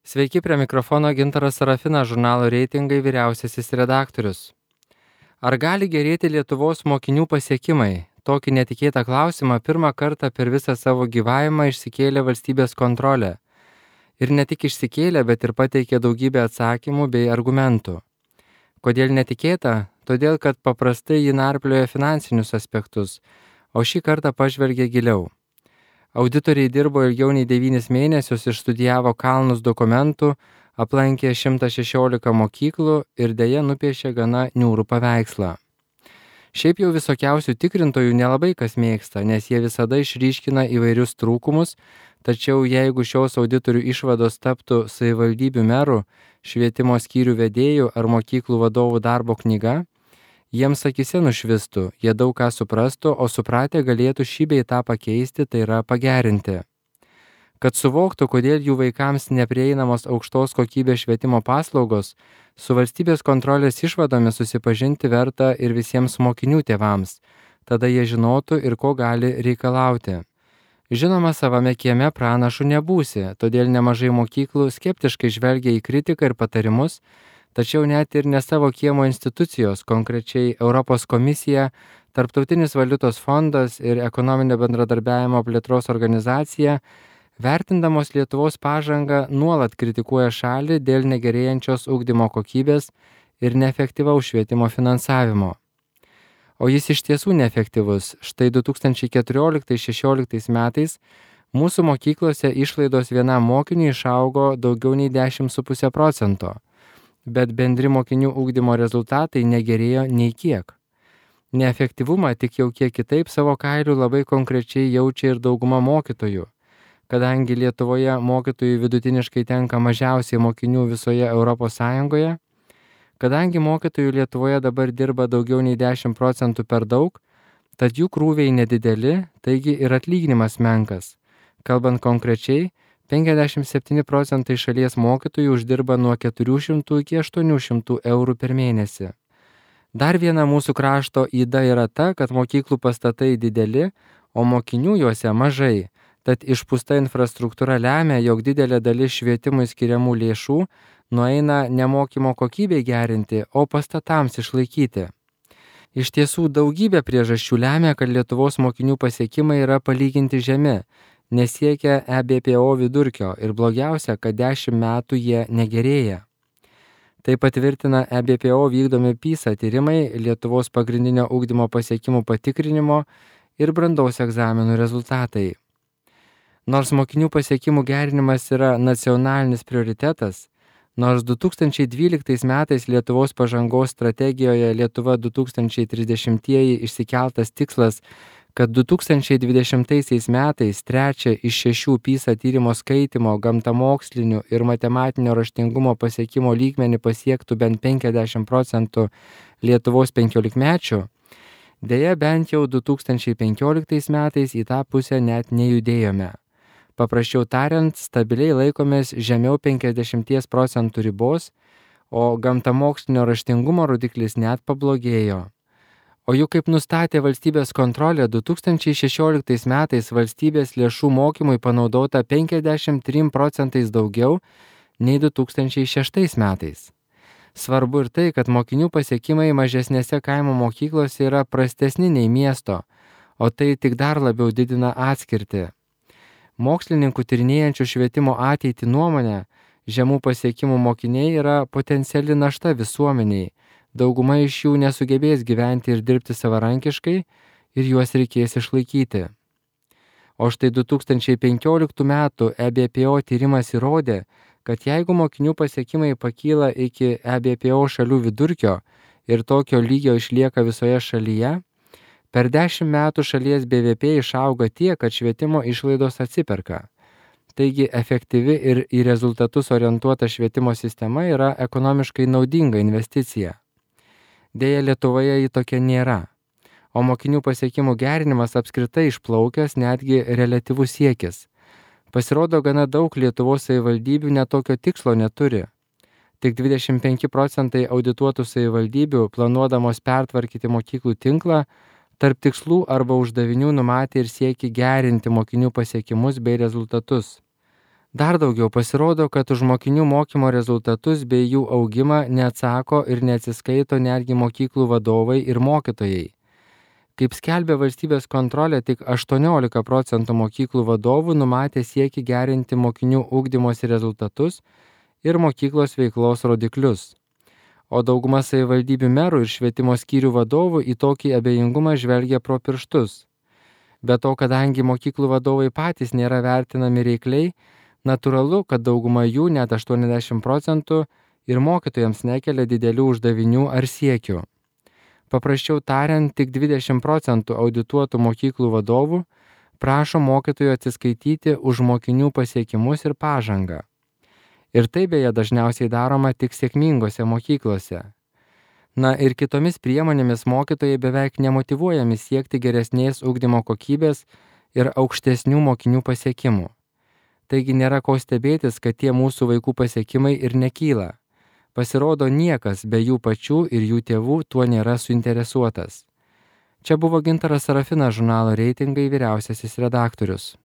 Sveiki, prie mikrofono Gintaras Sarafinas, žurnalo Reitingai vyriausiasis redaktorius. Ar gali gerėti Lietuvos mokinių pasiekimai? Tokį netikėtą klausimą pirmą kartą per visą savo gyvavimą išsikėlė valstybės kontrolė. Ir ne tik išsikėlė, bet ir pateikė daugybę atsakymų bei argumentų. Kodėl netikėta? Todėl, kad paprastai ji narplioja finansinius aspektus, o šį kartą pažvelgė giliau. Auditoriai dirbo ilgiau nei 9 mėnesius, išstudijavo kalnus dokumentų, aplankė 116 mokyklų ir dėja nupiešė gana niūrų paveikslą. Šiaip jau visokiausių tikrintojų nelabai kas mėgsta, nes jie visada išryškina įvairius trūkumus, tačiau jeigu šios auditorių išvados taptų savivaldybių merų, švietimo skyrių vedėjų ar mokyklų vadovų darbo knyga, jiems akise nušvistų, jie daug ką suprastų, o supratę galėtų šį bei tą pakeisti, tai yra pagerinti. Kad suvoktų, kodėl jų vaikams neprieinamos aukštos kokybės švietimo paslaugos, su valstybės kontrolės išvadomis susipažinti verta ir visiems mokinių tėvams, tada jie žinotų ir ko gali reikalauti. Žinoma, savame kieme pranašu nebūsi, todėl nemažai mokyklų skeptiškai žvelgia į kritiką ir patarimus, tačiau net ir ne savo kiemo institucijos, konkrečiai Europos komisija, Tarptautinis valiutos fondas ir Ekonominio bendradarbiavimo plėtros organizacija, vertindamos Lietuvos pažangą, nuolat kritikuoja šalį dėl negerėjančios ugdymo kokybės ir neefektyvaus švietimo finansavimo. O jis iš tiesų neefektyvus. Štai 2014-2016 metais mūsų mokyklose išlaidos vienam mokiniui išaugo daugiau nei 10,5%. Bet bendri mokinių ugdymo rezultatai negerėjo nei kiek. Neefektyvumą tik jau kiek kitaip savo kailiu labai konkrečiai jaučia ir dauguma mokytojų. Kadangi Lietuvoje mokytojų vidutiniškai tenka mažiausiai mokinių visoje ES, kadangi mokytojų Lietuvoje dabar dirba daugiau nei 10% per daug, tad jų krūviai nedideli, taigi ir atlyginimas menkas. Kalbant konkrečiai, 57% šalies mokytojų uždirba nuo 400 iki 800 eurų per mėnesį. Dar viena mūsų krašto yda yra ta, kad mokyklų pastatai dideli, o mokinių juose mažai, tad išpūsta infrastruktūra lemia, jog didelė dalis švietimui skiriamų lėšų nueina ne mokymo kokybei gerinti, o pastatams išlaikyti. Iš tiesų daugybė priežasčių lemia, kad Lietuvos mokinių pasiekimai yra palyginti žemi, nesiekia EBPO vidurkio ir blogiausia, kad 10 metų jie negerėja. Tai patvirtina EBPO vykdomi PISA tyrimai, Lietuvos pagrindinio ugdymo pasiekimų patikrinimo ir brandos egzaminų rezultatai. Nors mokinių pasiekimų gerinimas yra nacionalinis prioritetas, nors 2012 metais Lietuvos pažangos strategijoje Lietuva 2030 išsikeltas tikslas, kad 2020 metais 3 iš 6 PISA tyrimo skaitimo, gamtamokslinių ir matematinio raštingumo pasiekimo lygmenį pasiektų bent 50% Lietuvos 15-mečių, deja bent jau 2015 metais į tą pusę net nejudėjome. Paprasčiau tariant, stabiliai laikomės žemiau 50% ribos, o gamtamokslinio raštingumo rodiklis net pablogėjo. O juk kaip nustatė valstybės kontrolė, 2016 metais valstybės lėšų mokymui panaudota 53% daugiau nei 2006 metais. Svarbu ir tai, kad mokinių pasiekimai mažesnėse kaimo mokyklose yra prastesni nei miesto, o tai tik dar labiau didina atskirtį. Mokslininkų tyrinėjančių švietimo ateitį nuomonę, žemų pasiekimų mokiniai yra potenciali našta visuomeniai. Dauguma iš jų nesugebės gyventi ir dirbti savarankiškai ir juos reikės išlaikyti. O štai 2015 metų EBPO tyrimas įrodė, kad jeigu mokinių pasiekimai pakyla iki EBPO šalių vidurkio ir tokio lygio išlieka visoje šalyje, per 10 metų šalies BVP išauga tiek, kad švietimo išlaidos atsiperka. Taigi efektyvi ir į rezultatus orientuota švietimo sistema yra ekonomiškai naudinga investicija. Deja, Lietuvoje ji tokia nėra, o mokinių pasiekimų gerinimas apskritai išplaukęs netgi reliatyvus siekis. Pasirodo, gana daug Lietuvos savivaldybių netokio tikslo neturi. Tik 25% audituotų savivaldybių, planuodamos pertvarkyti mokyklų tinklą, tarp tikslų arba uždavinių numatė ir siekį gerinti mokinių pasiekimus bei rezultatus. Dar daugiau pasirodo, kad už mokinių mokymo rezultatus bei jų augimą neatsako ir neatsiskaito netgi mokyklų vadovai ir mokytojai. Kaip skelbia valstybės kontrolė, tik 18% mokyklų vadovų numatė siekį gerinti mokinių ugdymosi rezultatus ir mokyklos veiklos rodiklius. O dauguma savivaldybių merų ir švietimo skyrių vadovų į tokį abejingumą žvelgia pro pirštus. Be to, kadangi mokyklų vadovai patys nėra vertinami reikliai, natūralu, kad dauguma jų, net 80%, ir mokytojams nekelia didelių uždavinių ar siekių. Paprasčiau tariant, tik 20% audituotų mokyklų vadovų prašo mokytojų atsiskaityti už mokinių pasiekimus ir pažangą. Ir tai beje dažniausiai daroma tik sėkmingose mokyklose. Na ir kitomis priemonėmis mokytojai beveik nemotyvuojami siekti geresnės ugdymo kokybės ir aukštesnių mokinių pasiekimų. Taigi nėra ko stebėtis, kad tie mūsų vaikų pasiekimai ir nekyla. Pasirodo, niekas be jų pačių ir jų tėvų tuo nėra suinteresuotas. Čia buvo Gintaras Sarafinas, žurnalo Reitingai vyriausiasis redaktorius.